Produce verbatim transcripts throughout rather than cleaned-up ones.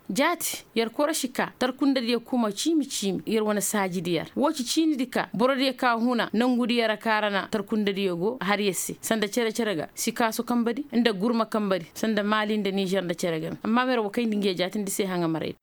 Jaati yer korosi ka tarkundediyo kuma ciimi ciimi yer wane saajidi yer woo ci ciinidi ka borodiyo ka huna nangudi yer a kaara na tarkundediyo go har yer se sanda cere-cere ga sikaaso kambadi nda gurma kambadi sanda maali nda nizer nda cere game amma ma yer wa kayndi ngi ye jaatindi se haŋa maray.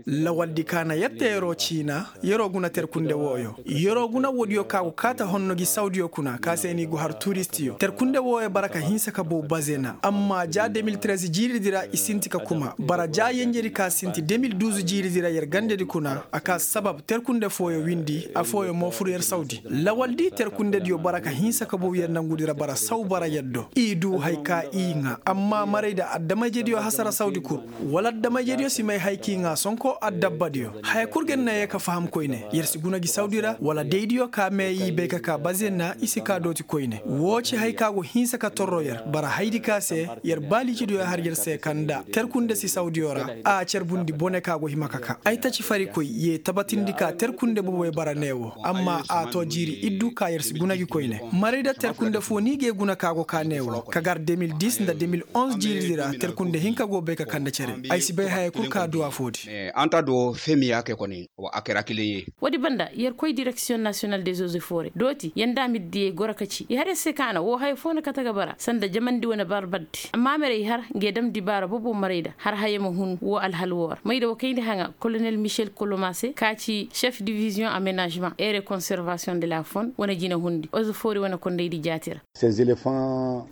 Lawaldi ka na yer te yeroo ciina yeroo guna terkunde wooyo. Yeroo guna woodiyo ka go kaata honno gi sawdiyo kuna ka se ni go har turistiyo terkunde wooyo bara ka hinsa ka bow bazena amma ja de mil trez jiiridi ra i sinti ka kuma bara ja yenjedi ka sinti de mil duz jiiridi ra yer gandedi kuna a ka sabab terkunde fooyo windi afooyo mo fur yer sawdi. Lawaldi terkundediyo bara ka hinsa ka bow yer nangudi ra bara saw bara yer do i duu hay ka i ŋaa amma marayda adama-ijediyo hasara sawdi kul. Wala adama-ijediyo si may hay k'i ŋaa sonko addabbadiyo haya kul ga yer na yee ka faham koyne. Yer si guna gi sawdi ra wala daydiyo ka mee i bay ka kaa bazenna i si kaa dooti koyne woo ci hay ka go hinsa ka torro yer bara haydi ka se yer baaliicidiyo har yer se ka nda terkunde si sawdiyo ra. A carbundi bone ka go hima ka kaa ay taci farikoy yee tabatindi ka terkunde boboy bara neewo amma a too jiiri iddu ka yer si guna gi koyne. Marayda terkunde foo ni ga ye guna ka go kaa neewo ka gar de mil dis nda de mil onz jiiridi ra terkunde hinka go bay ka kande cere. Ay si bay haya kul ka duu afoodi. Anta do femiya ke koni wa a kera kile ye. Woodi banda yer koy direksiyoŋ nasiyonal de zoze foore dooti yer nda a ma ir diyey goro ka ci i har yer se kaana woo haya foo na kate ga bara sanda jamandi wane barbardi amma mere i har nge dam dibaara bobo marayda har haya ma hun woo alhal woo ra mayda wa kayndi haŋa kolonel michel koloma se ka ci chef diviziyoŋ amenažemaŋ ere konservasiyoŋ de la fon wane jinahundi ozo foori wane kondaydi jaati ra.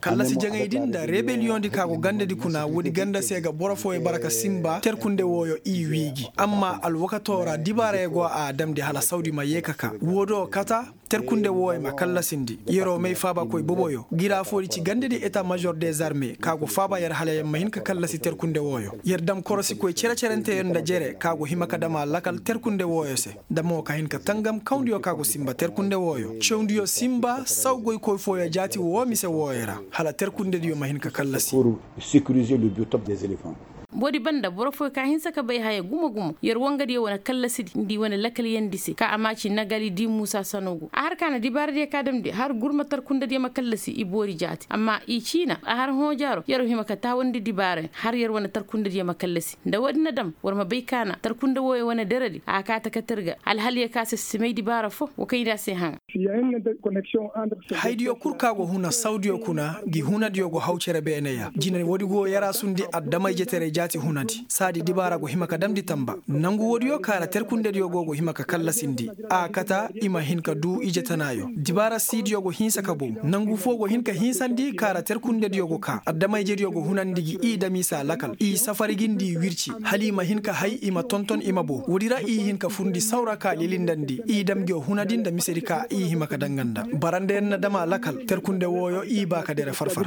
Kallasi jaŋaydi nda rebeliyoŋdi ka go gandadi kuna woodi ganda se ga boro fooyo bara ka sinba terkunde wooyo i wii gi amma alwakatoo ra dibaarayo go a damndi hala sawdi ma yee ka kaa woo do kata terkunde wooyo ma kallasindi yeroo may faabakoy boboyo gira foodi ci gandadi eta mažor dezarme ka go faaba yer hala yer ma hin ka kallasi terkunde wooyo yer dam korosikoy cere-cerenteyo nda jere ka go hima ka dam a lakal terkunde wooyo se. Nda mo ka hin ka tangam kawndiyo ka go sinba terkunde wooyo cawndiyo sinba saw goykoy fooyo jaati woo mise wooyo ra hala terkundediyo ma hin ka kallasi. Woodi banda boro fooyo ka hinsa ka bay haya gumo-gumo yer wangadiyo wane kallasidi nda i wane lakaliyandi se ka a ma ci nagali di muusa sanogu a har ka na dibaaradiyo ka damndi har gurma tarkundadiyo ma kallasi i boori jaati amma i ciina a har hõojaaro yer hima ka taawandi dibaarayo har yer wane tarkundadiyo ma kallasi nda woodi na dam war ma bay ka na tarkunda wooyo wane deredi a kaate kate ir ga alhaliyo ka se si may dibaara foo wa kayndi a se haŋa. Haydiyo kul ka go huna sawdiyo kuna gi hunadiyo go haw cere beeneya jine woodi go yaraasundi adama-ijetaray jaati hunadi saadi dibaara go hima ka damndi tamba nangu woodiyo ka ra terkundediyo go go hima ka kallasindi a kata i ma hin ka duu ije tanaayo dibaara siidiyo go hinsa ka bow nangu foo go hin ka hinsandi ka ra terkundediyo go kaa adama-ijediyo go hunandi gi i dam i se a lakal i safari gi nda i wirci hala i ma hin ka hay i ma tonton i ma bow woodi ra i hin ka furndi saw ra ka lilindandi i dam ngiyo hunadi nda misedi ka i hima ka daŋ nga nda barandayaŋ na dam a lakal terkunde wooyo i baa ka dere far-far.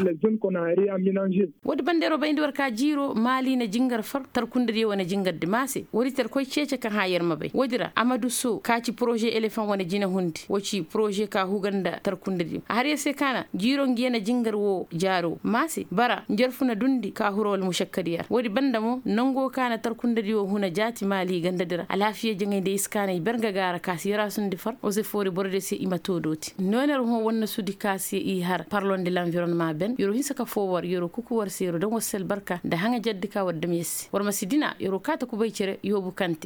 Woodi banda yer wo bayndi war ka jiiroo maali na jingar far tarkundediyo wane jingardi maase woodi tar koy ceece ka hã yer ma bay woodi ra amadu soo ka ci poroze elefaŋ wane jinehundi woo ci poroze ka huga nda tarkundediyo a har yer se ka na jiiroo ngi yer na jingar woo jaaroo maase bara njarfu na dundi ka huru wala mušakkadi yer woodi banda mo nangoo ka na tarkundediyo huna jaati maali gandadi ra alaafiya jaŋay nda i si kaanay ber nga ga a ra ka si yaraasundi far woo se foori borodiyo se i ma too dooti nooney ra hõ wannasudi ka se i har parlon de lanvironema ben yer wo hinsa ka foo war yer wo kuku war se yer wo daŋ war se albarka nda haŋa jaddi ka war dam yer se war ma si dina yer wo kaata kubay cere yoobu kante.